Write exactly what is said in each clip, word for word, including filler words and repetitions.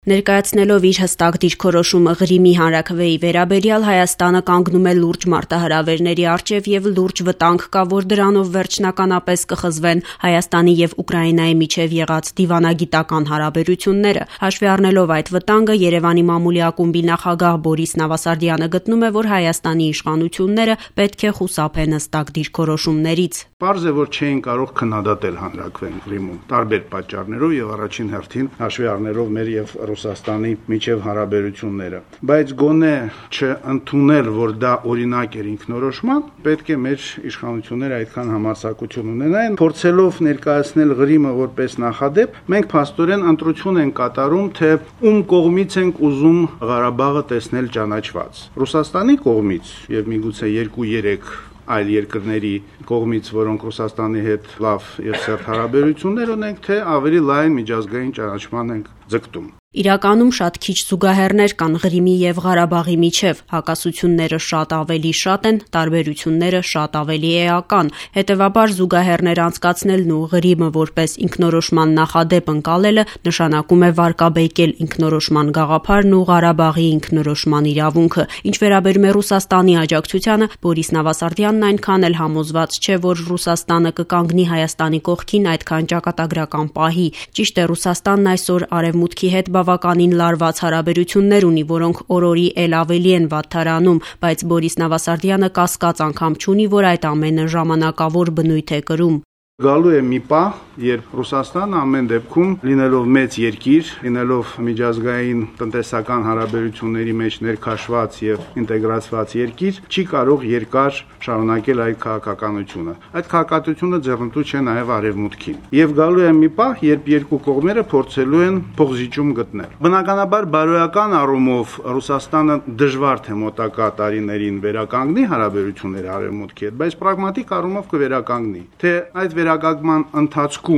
Ներկայացնելով իր հստակ դիրքորոշումը Ղրիմի հանրաքվեի վերաբերյալ, Հայաստանը կանգնում է լուրջ մարտահրավերների առջև եւ լուրջ վտանգ կա, որ դրանով վերջնականապես կխզվեն Հայաստանի եւ Ուկրաինայի միջեւ եղած դիվանագիտական հարաբերությունները։ Հաշվի առնելով այդ վտանգը, Երևանի մամուլի ակումբի նախագահ Բորիս Նավասարդյանը գտնում է, որ Հայաստանի իշխանությունները պետք է խուսափեն հստակ դիրքորոշումներից։ Պարզ է, որ չէին կարող քննադատել հանրաքվեն Ղրիմում տարբեր պատճառներով եւ առաջին հերթին հաշվի առնելով մեր եւ Ռուսաստանի միջև հարաբերությունները, բայց գոնե չընդունել, որ դա օրինակ էր ինքնորոշման, պետք է մեր իշխանությունները այդքան համարձակություն ունենային, փորձելով ներկայացնել Ղրիմը որպես նախադեպ, մենք փաստորեն ընտրություն ենք կատարում, թե ում կողմից ենք ուզում Ղարաբաղը տեսնել ճանաչված։ Ռուսաստանի կողմից եւ միգուցե երկու-երեք այլ երկրների կողմից, որոնք Ռուսաստանի հետ լավ եւ սերտ հարաբերություններ ունենք, թե ավելի լայն միջազգային ճանաչման ենք ձգտում։ Իրականում շատ քիչ զուգահեռներ կան Ղրիմի եւ Ղարաբաղի միջև, հակասությունները շատ ավելի շատ են, տարբերությունները շատ ավելի էական, հետեւաբար զուգահեռներ անցկացնելն ու Ղրիմը որպես ինքնորոշման նախադեպ ընկալելը նշանակում է վարկաբեկել ինքնորոշման գաղափարն ու Ղարաբաղի ինքնորոշման իրավունքը։ Ինչ վերաբերում է Ռուսաստանի աջակցությանը, Բորիս Նավասարդյանն այնքան էլ համոզված չէ, որ Ռուսաստանը կկանգնի Հայաստանի կողքին այդքան ճակատագրական պահի։ Ճիշտ է, Ռուսաստանն այսօր արևմուտքի հետ բավականին լարված հարաբերություններ ունի, որոնք օրորի էլ ավելի են վատթարանում, բայց Բորիս Նավասարդյանը կասկած անգամ չունի, որ այդ ամենը ժամանակավոր բնույթ է կրում։ Գալու է մի պահ, երբ Ռուսաստանը ամեն դեպքում լինելով մեծ երկիր, լինելով միջազգային տնտեսական հարաբերությունների մեջ ներքաշված եւ ինտեգրացված երկիր, չի կարող երկար շարունակել այդ քաղաքականությունը։ Այդ քաղաքականությունը ձեռնտու չէ նաեւ արևմուտքին։ Եվ գալու է մի պահ, երբ երկու կողմերը փորձելու են փոխզիջում գտնել։ Բնականաբար բարոյական առումով Ռուսաստանը դժվար թե մոտակա տարիներին վերականգնի հարաբերությունները արևմուտքի հետ, բայց պրագմատիկ առումով կվերականգնի։ Թե այդ վերականգնման ընթացքում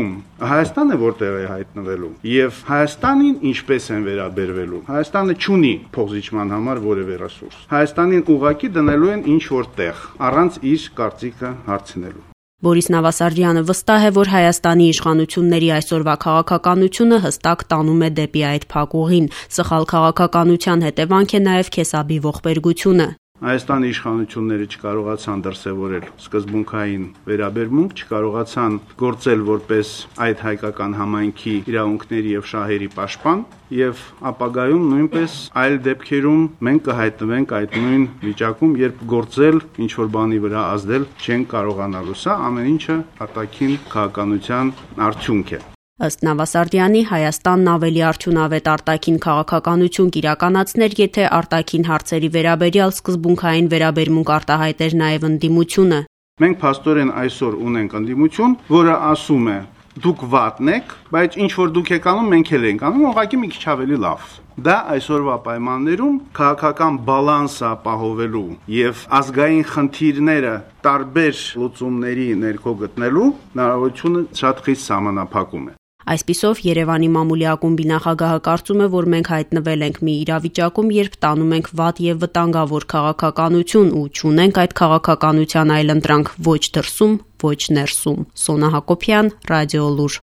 Հայաստանը որտեղ է հայտնվելու եւ Հայաստանին ինչպես են վերաբերվելու։ Հայաստանը չունի փոխզիջման համար որևէ ռեսուրս։ Հայաստանին ուղղակի դնելու են ինչ որ տեղ, առանց իր կարծիքը հարցնելու։ Բորիս Նավասարդյանը վստահ է, որ Հայաստանի իշխանությունների այսօրվա քաղաքականությունը հստակ տանում է դեպի այդ փակուղին։ Սխալ քաղաքականության հետևանք է նաև քեսաբի ողբերգությունը։ Հայաստանի իշխանությունները չկարողացան դրսևորել սկզբունքային վերաբերմունք, չկարողացան գործել որպես այդ հայկական համայնքի իրավունքների եւ շահերի պաշտպան, եւ ապագայում նույնպես այլ դեպքերում մենք կհայտնվենք այդ նույն վիճակում, երբ գործել, ինչ որ բանի վրա ազդել չեն կարողանալու։ Սա ամեն ինչը արտաքին քաղաքականության արդյունք է։ Ըստ Նավասարդյանի, Հայաստանն ավելի արդյունավետ արտաքին քաղաքականություն կիրականացներ, եթե արտաքին հարցերի վերաբերյալ սկզբունքային վերաբերմունք արտահայտեր նաև ընդդիմությունը։ Մենք փաստորեն այսօր ունենք ընդդիմություն, որը ասում է. դուք վատն եք, բայց ինչ որ դուք եք անում, մենք էլ ենք անում, ուղղակի մի քիչ ավելի լավ։ Դա այսօրվա պայմաններում քաղաքական բալանսը ապահովելու եւ ազգային խնդիրները տարբեր լուծումների ներքո գտնելու հնարավորությունը շատ խիստ սահմանափակում է։ Այսպիսով Երևանի մամուլի ակումբի նախագահը կարծում է, որ մենք հայտնվել ենք մի իրավիճակում, երբ տանում ենք վատ եւ վտանգավոր քաղաքականություն ու չունենք այդ քաղաքականության այլընտրանք ոչ դրսում, ոչ ներսում։ Սոնա Հակոբյան, Ռադիոլուր։